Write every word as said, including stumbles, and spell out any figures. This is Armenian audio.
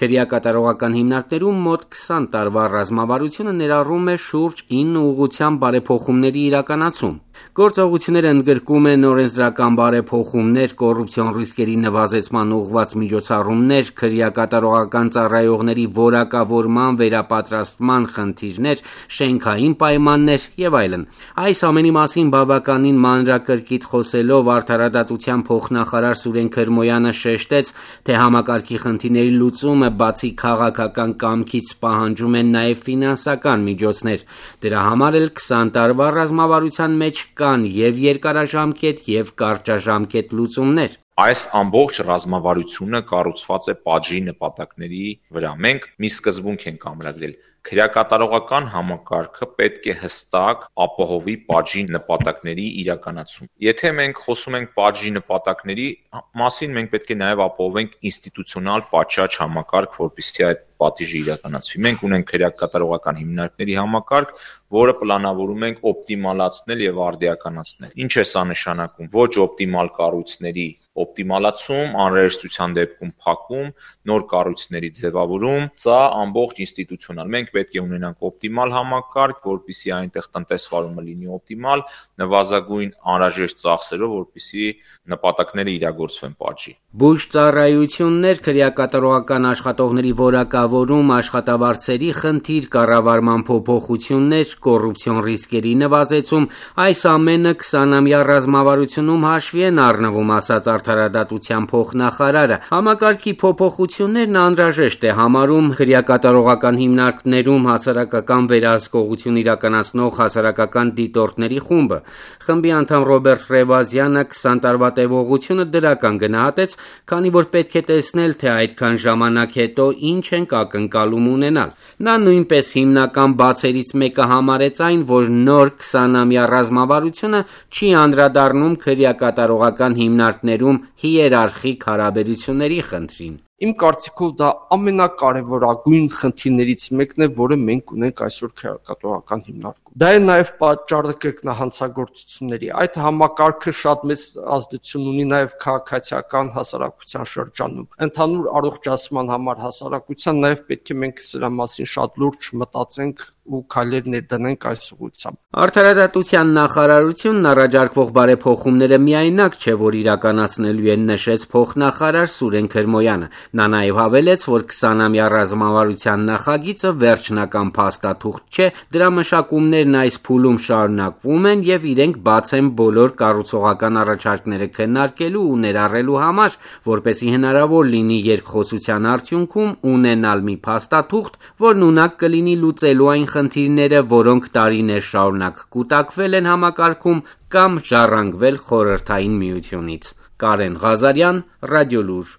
Քրեակատարողական հիմնարկներում մոտ քսան տարվա ռազմավարությունը ներառում է շուրջ ինը ուղղության բարեփոխումների իրականացում։ Գործողությունները ընդգրկում են օրենսդրական բարեփոխումներ, կոռուպցիոն ռիսկերի նվազեցման ուղղված միջոցառումներ, քրեակատարողական ծառայողների որակավորման վերապատրաստման խնդիրներ, շենքային պայմաններ եւ այլն։ Այս ամենի մասին բավականին մանրակրկիտ խոսելով արդարադատության փոխնախարար Սուրեն Քրմոյանը շեշտեց, թե համակարգի խնդիրների լուծումը բացի քաղաքական կամքից պահանջում է նաեւ ֆինանսական միջոցներ։ Դրա համար էլ քսան տարվա ռազմավարության մեջ կան եւ երկարաժամկետ եւ կարճաժամկետ լուծումներ։ Այս ամբողջ ռազմավարությունը կառուցված է պատժի նպատակների վրա։ Մենք մի սկզբունք ենք ամրագրել. քրեակատարողական համակարգը պետք է հստակ ապահովի պատժի նպատակների իրականացում։ Եթե մենք խոսում ենք պատժի նպատակների մասին, մենք պետք է նաև ապահովենք ինստիտուցիոնալ պատշաճ համակարգ, որպեսզի այդ պատիժը իրականացվի։ Մենք ունենք քրեակատարողական հիմնարկների համակարգ, որը պլանավորում ենք օպտիմալացնել եւ արդիականացնել։ Ինչ է սա նշանակում։ Ոչ օպտիմալ կառույցների օպտիմալացում, անհրաժեշտության դեպքում փակում, նոր կառույցների ձևավորում, սա ամբողջ ինստիտուցիոնալ։ Մենք պետք է ունենանք օպտիմալ համակարգ, որպեսզի այնտեղ տնտեսվարումը լինի օպտիմալ, նվազագույն անհրաժեշտ ծախսերով, որպեսզի նպատակները իրագործվեն պատժի։ Բուժծառայություններ, քրեակատարողական աշխատողների որակավորում, աշխատավարձերի խնդիր, կառավարման փոփոխություններ, կոռուպցիոն ռիսկերի նվազեցում, այս ամենը քսանամյա ռազմավարությունում հաշվի են առնվում, ասաց արդարադատության փոխնախարարը։ Համակարգի փոփոխություններն անհրաժեշտ է համարում քրեակատարողական հիմնարկներում հասարակական վերահսկողություն իրականացնող հասարակական դիտորդների խումբը։ Խմբի անդամ Ռոբերտ Ռևազյանը քսան տարվա տևողությունը դրական գնահատեց, քանի որ պետք է տեսնել, թե այդքան ժամանակ հետո ինչ ենք ակնկալում ունենալ։ Նա նույնպես հիմնական բացերից մեկը համարեց այն, որ նոր քսանամյա ռազմավարությունը չի անդրադառնում քրեակատարողական հիմնարկներում հիերարխիկ հարաբերությունների խնդրին։ Իմ կարծիքով դա ամենակարևորագույն խնդիրներից մեկն է, որը մենք ունենք այսօր քրեակատարողական հիմնարկում։ Դա է նաև պատճառը կրկնահանցագործությունների։ Այդ համակարգը շատ մեծ ազդեցություն ունի նաև քաղաքացիական հասարակության շրջանում։ Ընդհանուր առողջացման համար հասարակության նաև պետք է մենք սրա մասին շատ լուրջ մտածենք ու քայլեր ներդնենք այս ուղղությամբ։ Արդարադատության նախարարությունն առաջարկվող բարեփոխումները միայնակ չէ, որ իրականացնելու են, նշեց փոխնախարար Սուրեն Քրմոյանը։ Նա նաև հավելեց, որ քսանամյա ռազմավարության նախագիծը վերջնական փաստաթուղթ չէ, դրա մշակումներն այս փուլում շարունակվում են եւ իրենք բաց են բոլոր կառուցողական առաջարկները քննարկելու ու ներառելու համար, որպեսզի հնարավոր լինի երկխոսության արդյունքում ունենալ մի փաստաթուղթ, որն ունակ կլինի լուծելու այն խնդիրները, որոնք տարիներ շարունակ կուտակվել են համակարգում կամ ժառանգվել Խորհրդային Միությունից։ Կարեն Ղազարյան, Ռադիոլուր։